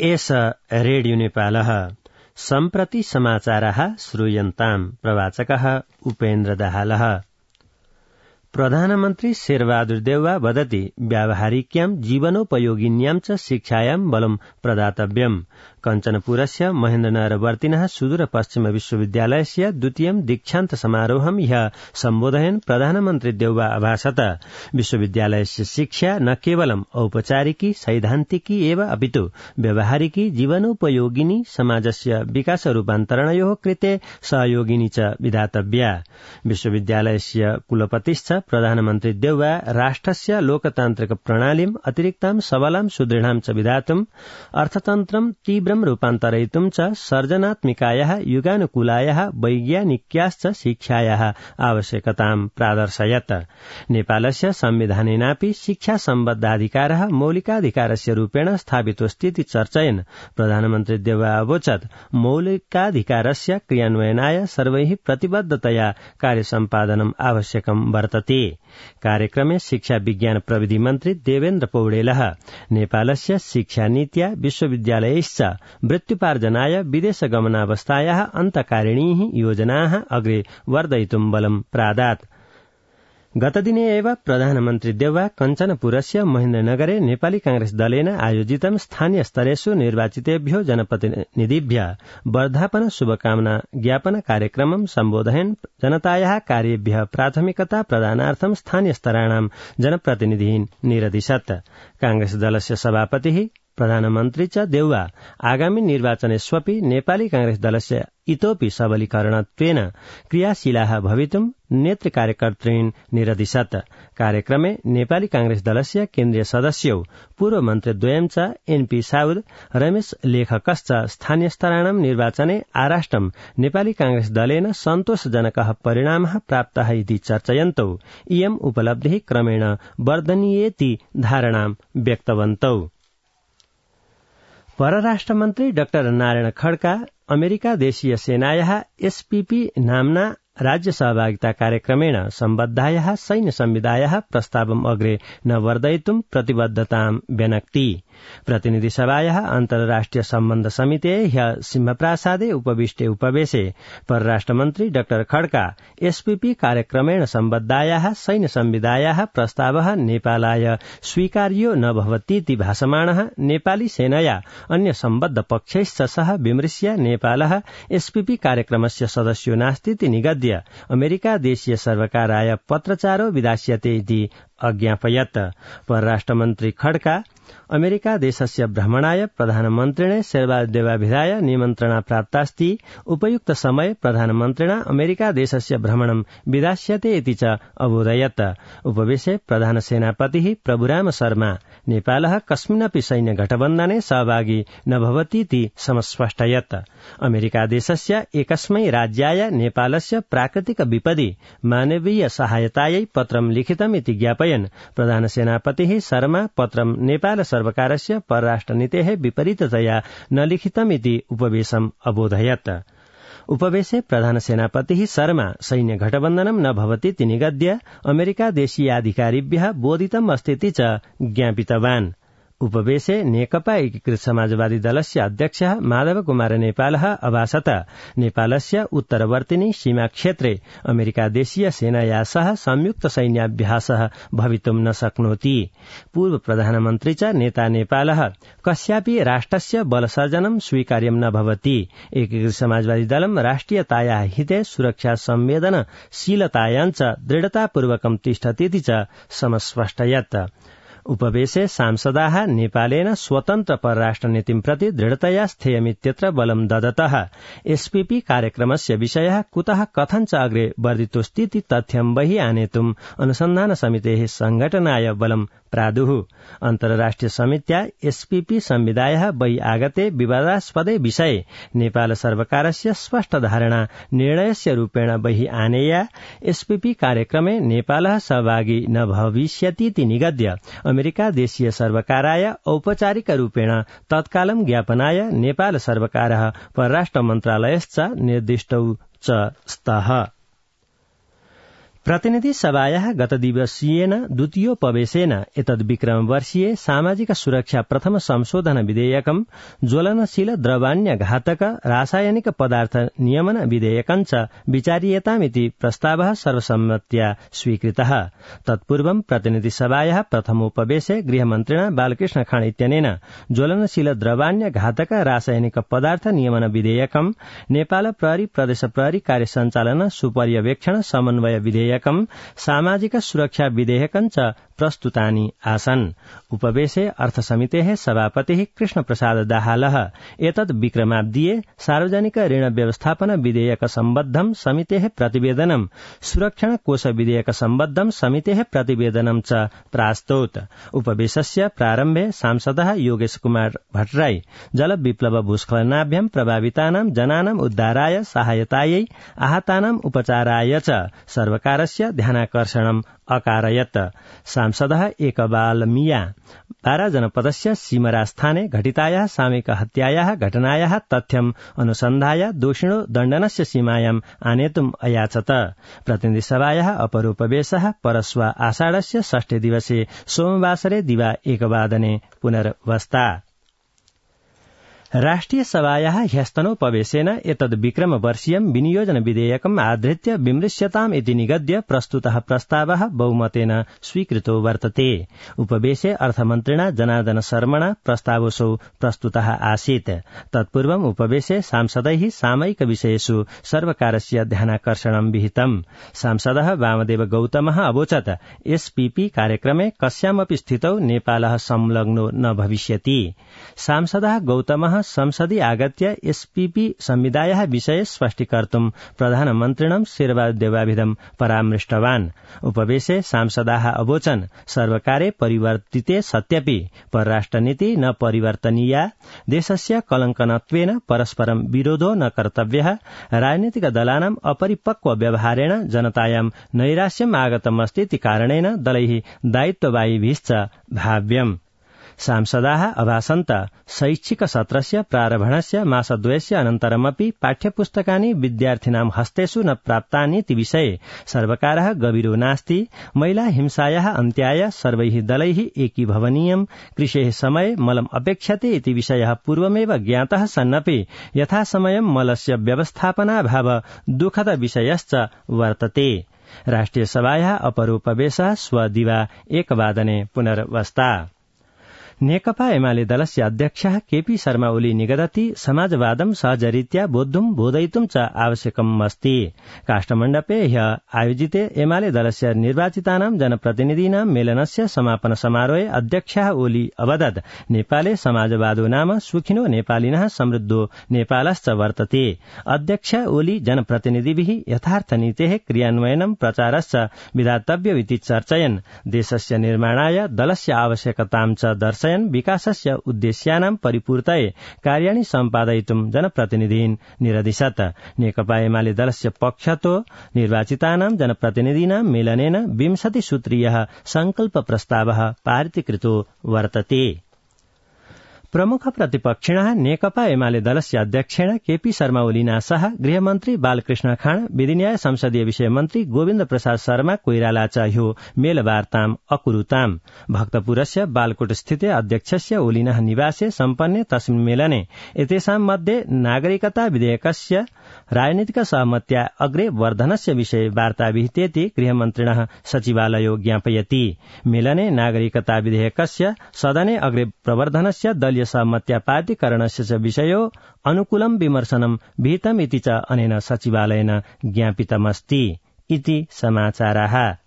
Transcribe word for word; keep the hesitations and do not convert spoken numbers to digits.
एष रेडियो नेपालः सम्प्रति समाचाराः श्रूयन्ताम् प्रवाचकः उपेन्द्र दाहालः। प्रधानमन्त्री शेरबहादुर देउवा वदति व्यावहारिक्यां जीवनोपयोगिन्यां च शिक्षायां बलं प्रदातव्यम्। कञ्चनपुरस्य महेन्द्रनगरवर्तिनः सुदूर पश्चिम विश्वविद्यालयस्य द्वितीयं दीक्षान्त समारोहं ह्यः सम्बोधयन् प्रधानमन्त्री देउवा अभाषत विश्वविद्यालयस्य शिक्षा न केवलम् औपचारिकी सैद्धान्तिकी एव अपितु व्यावहारिकी जीवनोपयोगिनी समाजस्य विकास रूपान्तरणयोः कृते सहयोगिनी च विधातव्या। विश्वविद्यालयस्य कुलपतिश्च प्रधानमन्त्री देउवा राष्ट्रस्य लोकतान्त्रिक प्रणालीम् अतिरिक्तां सबलां सुदृढां च विधातुम् अर्थतन्त्रं तीव्रं रूपान्तरयितुं च सर्जनात्मिकायाः युगानुकूलायाः वैज्ञानिक्याश्च शिक्षायाः आवश्यकतां प्रादर्शयत्। नेपालस्य संविधानेनापि शिक्षा सम्बद्धाधिकारः मौलिकाधिकारस्य रूपेण स्थापितोऽस्तीति चर्चयन् प्रधानमन्त्री देउवा अवोचत् मौलिकाधिकारस्य क्रियान्वयनाय सर्वैः प्रतिबद्धतया कार्यसम्पादनम् आवश्यकं वर्तते। कार्यक्रमे शिक्षा विज्ञान प्रविधि मन्त्री देवेन्द्र पौडेलः नेपालस्य शिक्षानीत्या विश्वविद्यालयैश्च वृत्त्युपार्जनाय विदेशगमनावस्थायाः अन्तकारिणीः योजनाः अग्रे वर्धयितुं बलं प्रादात्। गतदिने एव प्रधानमन्त्री देउवा कञ्चनपुरस्य महेन्द्रनगरे नेपाली कांग्रेस दलेन आयोजितं स्थानीय स्तरेषु निर्वाचितेभ्यो जनप्रतिनिधिभ्यः वर्धापन शुभकामना ज्ञापन कार्यक्रमं सम्बोधयन् जनतायाः कार्येभ्यः प्राथमिकता प्रदानार्थं स्थानीय स्तराणां जनप्रतिनिधीन् निरदिशत्। कांग्रेस दलस्य सभापतिः प्रधानमन्त्री च देउवा आगामी निर्वाचनेष्वपि नेपाली कांग्रेस दलस्य इतोपि सबलीकरणत्वेन क्रियाशीलाः भवितुं नेतृकार्यकर्तॄन् निरदिशत्। कार्यक्रमे नेपाली कांग्रेस दलस्य केन्द्रीय सदस्यौ पूर्व मन्त्रीद्वयं च एनपी साउद रमेश लेखकश्च स्थानीय स्तराणां निर्वाचने आराष्ट्रं नेपाली कांग्रेस दलेन सन्तोषजनकः परिणामः प्राप्तः इति चर्चयन्तौ इयम् उपलब्धिः क्रमेण वर्धनीयेति धारणां व्यक्तवन्तौ। परराष्ट्रमन्त्री डाक्टर नारायण खड्का अमेरिका देशीय सेनायाः एसपीपी नाम्ना राज्य सहभागिता कार्यक्रमेण सम्बद्धायाः सैन्य संविदायाः प्रस्तावम् अग्रे न वर्धयितुं प्रतिबद्धतां व्यनक्ति। प्रतिनिधि सभायाः अन्तर्राष्ट्रिय सम्बन्ध समितेः ह्यः सिंहप्रासादे उपविष्टे उपवेशे परराष्ट्रमन्त्री डाक्टर खड्का एसपीपी कार्यक्रमेण सम्बद्धायाः सैन्य संविदायाः प्रस्तावः नेपालाय स्वीकार्यो न भवतीति भासमाणः नेपाली सेनया अन्य सम्बद्ध पक्षैश्च सह विमृश्य नेपालः एसपीपी कार्यक्रमस्य सदस्यो नास्तीति निगद्य अमेरिका देशीय सर्वकाराय पत्रचारो विधास्यते इति अज्ञापयत्। परराष्ट्रमन्त्री खड्का अमेरिका देशस्य भ्रमणाय प्रधानमन्त्रिणे शेरबहादुर देउवा विधाय निमन्त्रणा प्राप्तास्ति उपयुक्त समय प्रधानमन्त्रिणा अमेरिका देशस्य भ्रमणं विधास्यते इति च अबोधयत्। उपवेशे प्रधान सेनापतिः प्रभुराम शर्मा नेपालः कस्मिन्नपि सैन्य गठबन्धने सहभागी न भवतीति समस्पष्टयत्। अमेरिका देशस्य एकस्मै राज्याय नेपालस्य प्राकृतिक विपदि मानवीय सहायतायै पत्रं लिखितम् इति ज्ञापयन् प्रधान सेनापतिः शर्मा पत्रं नेपाल सर्वकारस्य परराष्ट्रनीतेः विपरीततया न लिखितमिति उपवेशम् अबोधयत्। उपवेशे प्रधान सेनापतिः शर्मा सैन्य गठबन्धनं न भवतीति निगद्य अमेरिका देशीयाधिकारिभ्यः बोधितम् अस्तीति च ज्ञापितवान्। उपवेशे नेकपा एकीकृत समाजवादी दलस्य अध्यक्षः माधव कुमार नेपालः अभाषत नेपालस्य उत्तरवर्तिनि सीमा क्षेत्रे अमेरिका देशीय सेनाया सह संयुक्त सैन्याभ्यासः भवितुं न शक्नोति। पूर्व प्रधानमन्त्री च नेता नेपालः कस्यापि राष्ट्रस्य बलसर्जनं स्वीकार्यं न भवति। एकीकृत समाजवादी दलं राष्ट्रियतायाः हिते सुरक्षा संवेदनशीलतायां च दृढतापूर्वकं तिष्ठतीति च समस्पष्टयत्। उपवेशे सांसदाः नेपालेन स्वतन्त्र परराष्ट्रनीतिं प्रति दृढतया स्थेयमित्यत्र बलं ददतः। एसपीपी कार्यक्रमस्य विषयः कुतः कथं च अग्रे वर्धितोऽस्तीति तथ्यं बहिः आनेतुम् अनुसन्धान समितेः संघटनाय बलं प्रादुः। अन्तर्राष्ट्रिय समित्या एसपीपी संविदायः बहि आगते विवादास्पदे विषये नेपाल सर्वकारस्य स्पष्ट धारणा निर्णयस्य रूपेण बहि आनेया एसपीपी कार्यक्रमे नेपालः सहभागी न भविष्यतीति निगद्य अमेरिका देशीय सर्वकाराय औपचारिक रूपेण तत्कालं ज्ञापनाय नेपाल सर्वकारः परराष्ट्र मन्त्रालयश्च निर्दिष्टौ च स्तः। प्रतिनिधि सभायाः गतदिवसीयेन द्वितीयोपवेशेन एतद्विक्रमवर्षीये सामाजिक सुरक्षा प्रथम संशोधन विधेयकं ज्वलनशील द्रवाण्य घातक रासायनिक पदार्थ नियमन विधेयकञ्च विचार्येतामिति प्रस्तावः सर्वसम्मत्या स्वीकृतः। तत्पूर्वं प्रतिनिधि सभायाः प्रथमोपवेशे गृहमन्त्रिणा बालकृष्ण खाँड इत्यनेन ज्वलनशील द्रवाण्य घातक रासायनिक पदार्थ नियमन विधेयकं नेपाल प्रहरी प्रदेश प्रहरी कार्य सञ्चालन सुपर्यवेक्षण समन्वय विधेयक सामाजिक सुरक्षा विधेयकञ्च प्रस्तुतानि आसन्। उपवेशे अर्थसमितेः सभापतिः कृष्ण प्रसाद दाहालः एतद् विक्रमाब्दीये सार्वजनिक ऋण व्यवस्थापन विधेयक सम्बद्धं समितेः प्रतिवेदनं सुरक्षण कोष विधेयक सम्बद्धं समितेः प्रतिवेदनं च प्रास्तौत्। उपवेशस्य प्रारम्भे सांसदः योगेश कुमार भट्टराई जल विप्लव भूस्खलनाभ्यां प्रभावितानां जनानां उद्धाराय सहायतायै आहतानां उपचाराय च सर्वकारस्य ध्यानाकर्षणम् अकारयत्। सांसदः एकबाल मिया बारा जनपदस्य सीमरास्थाने घटितायाः सामूहिक हत्यायाः घटनायाः तथ्यम् अनुसन्धाय दोषिणो दण्डनस्य सीमायाम् आनेतुम् अयाचत। प्रतिनिधिसभायाः अपरोपवेशः परश्व आषाढस्य षष्ठे दिवसे सोमवासरे दिवा एकवादने पुनर्वस्ता। राष्ट्रिय सभायाः ह्यस्तनोपवेशेन एतद् विक्रमवर्षीयं विनियोजन विधेयकम् आधृत्य विमृश्यताम् इति निगद्य प्रस्तुतः प्रस्तावः बहुमतेन स्वीकृतो वर्तते। उपवेशे अर्थमन्त्रिणा जनार्दन शर्मणा प्रस्तावोऽसौ प्रस्तुतः आसीत्। तत्पूर्वम् उपवेशे सांसदैः सामयिक विषयेषु सर्वकारस्य ध्यानाकर्षणं विहितम्। सांसदः वामदेव गौतमः अवोचत् एसपीपी कार्यक्रमे कस्यामपि स्थितौ नेपालः संलग्नो न भविष्यति। सांसदः गौतमः संसदि आगत्य एसपीपी संविधायाः विषये स्पष्टीकर्तुं प्रधानमन्त्रिणं शेरबहादुरदेवाभिधं परामृष्टवान्। उपवेशे सांसदाः अवोचन् सर्वकारे परिवर्तिते सत्यपि परराष्ट्रनीति न परिवर्तनीया, देशस्य कलङ्कनत्वेन परस्परं विरोधो न कर्तव्यः, राजनीतिक दलानाम् अपरिपक्व व्यवहारेण जनतायां नैराश्यम् आगतमस्तीति कारणेन दलैः दायित्ववाहिभिश्च भाव्यम्। सांसदाः अभासन्त शैक्षिक सत्रस्य प्रारम्भणस्य मासद्वयस्य अनन्तरमपि पाठ्यपुस्तकानि विद्यार्थिनां हस्तेषु न प्राप्तानीति विषये सर्वकारः गभीरो नास्ति। महिला हिंसायाः अन्त्याय सर्वैः दलैः एकीभवनीयम्, कृषेः समये मलम् अपेक्षते इति विषयः पूर्वमेव ज्ञातः सन्नपि यथासमयं मलस्य व्यवस्थापनाभाव दुःखद विषयश्च वर्तते। राष्ट्रिय सभायाः अपरोपवेशः श्व दिवा एकवादने पुनर्वस्ता। नेकपा एमाले दलस्य अध्यक्षः केपी शर्मा ओली निगदति समाजवादं सहजरीत्या बोद्धुं बोधयितुं च आवश्यकम् अस्ति। काष्ठमण्डपे ह्यः आयोजिते एमाले दलस्य निर्वाचितानां जनप्रतिनिधीनां मेलनस्य समापन समारोहे अध्यक्षः ओली अवदत् नेपाले समाजवादो नाम सुखिनो नेपालिनः समृद्धो नेपालश्च वर्तते। अध्यक्ष ओली जनप्रतिनिधिभिः यथार्थनीतेः क्रियान्वयनं प्रचारश्च विधातव्यमिति चर्चयन् देशस्य निर्माणाय दलस्य आवश्यकतां च दर्शयन् विकासस्य उद्देश्यानां परिपूर्तये कार्याणि सम्पादयितुं जनप्रतिनिधीन् निरदिशत्। नेकपा एमाले दलस्य पक्षतो निर्वाचितानां जनप्रतिनिधीनां मेलनेन विंशति सूत्रीयः संकल्प प्रस्तावः पारितीकृतो वर्तते। प्रमुख प्रतिपक्षिणः नेकपा एमाले दलस्य अध्यक्षेण केपी शर्मा ओलिना सह गृहमन्त्री बालकृष्ण खाँड, विधिन्याय संसदीय विषय मन्त्री गोविन्द प्रसाद शर्मा कोइराला च ह्यो मेलवार्ताम् अकुरुताम्। भक्तपुरस्य बालकोट स्थिते अध्यक्षस्य ओलिनः निवासे सम्पन्ने तस्मिन् मेलने एतेषां मध्ये नागरिकता विधेयकस्य राजनीतिक सहमत्या अग्रे वर्धनस्य विषये वार्ता विहितेति गृहमन्त्रिणः सचिवालयो ज्ञापयति। मेलने नागरिकता विधेयकस्य सदने अग्रे प्रवर्धनस्य दलीय सहमत्या पारितीकरणस्य च विषयो अनुकूलं विमर्शनं विहितम् इति च अनेन सचिवालयेन ज्ञापितमस्ति इति समाचाराः।